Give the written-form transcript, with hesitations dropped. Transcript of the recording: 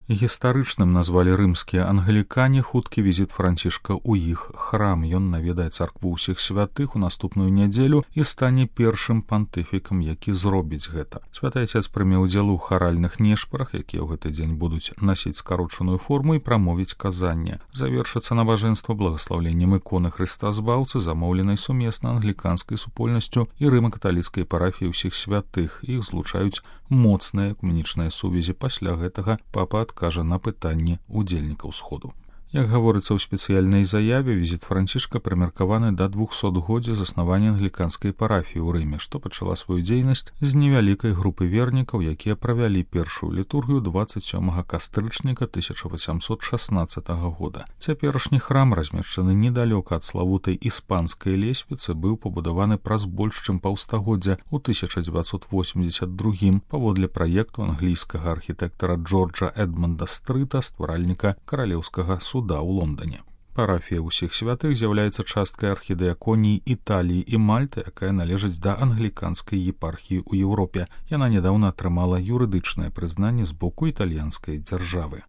Гістарычным назвалі рымскія англікане хуткі візіт Францішка ў іх храм. Ён наведае царкву ўсіх святых у наступную нядзелю і стане першым пантыфікам, які зробіць гэта. Святы Ацец прыме ўдзел у харальных нешпарах, якія ў гэты дзень будуць насіць скарочаную форму і прамовіць казанне. Завершыцца набажэнства благаслаўленнем іконы Хрыста Збаўцы, замоўленай сумесна англіканскай супольнасцю і рыма-каталіцкай парафіі ўсіх святых. Іх злучаюць моцныя экуменічныя сувязі. Пасля гэтага папа кажа на пытанне удзельнікаў сходу. Як гаворыцца ў спецыяльнай заяве, візіт Францішка прымеркаваны да 200-годдзя заснавання англіканскай парафіі ў Рыме, што пачала сваю дзейнасць з невялікай групы вернікаў, якія правялі першую літургію 27 кастрычніка 1816 года. Цяперашні храм, размешчаны недалёка ад славутай іспанскай лесвіцы, быў пабудаваны праз больш чым паўстагоддзя ў 1982 паводле праекту англійскага архітэктара Джорджа Эдмонда Стрыта, стваральніка каралеўскага суда ў Лондоне. Парафія ўсіх святых з'яўляецца часткай архідыяконіі Італіі і Мальты, якая належыць да англіканскай епархіі ў Еўропе. Яна нядаўна атрымала юрыдычнае прызнанне з боку італьянскай дзяржавы.